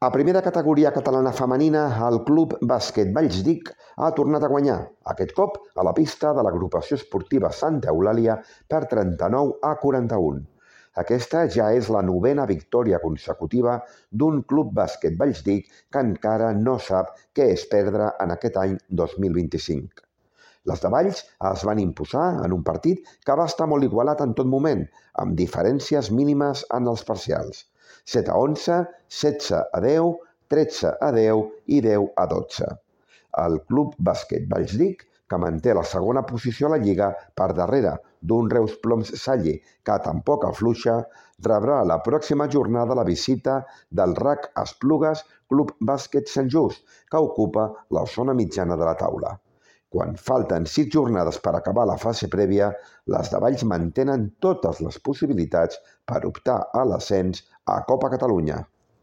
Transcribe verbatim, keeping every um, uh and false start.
A primera categoria catalana femenina, el Club Bàsquet Vallsdic ha tornat a guanyar, aquest cop a la pista de l'agrupació esportiva Santa Eulàlia per trenta-nou a quaranta-un. Aquesta ja és la novena victòria consecutiva d'un Club Bàsquet Vallsdic que encara no sap què és perdre en aquest any dos mil vint-i-cinc. Les de Valls es van imposar en un partit que va estar molt igualat en tot moment, amb diferències mínimes en els parcials. set a onze, setze a deu, tretze a deu i deu a dotze. El Club Bàsquet Vallsdic, que manté la segona posició a la Lliga per darrere d'un Reus Ploms Salle que tampoc afluixa, rebrà la pròxima jornada la visita del R A C Esplugues Club Bàsquet Sant Just, que ocupa la zona mitjana de la taula. Quan falten sis jornades per acabar la fase prèvia, les de Valls mantenen totes les possibilitats per optar a l'ascens a Copa Catalunya.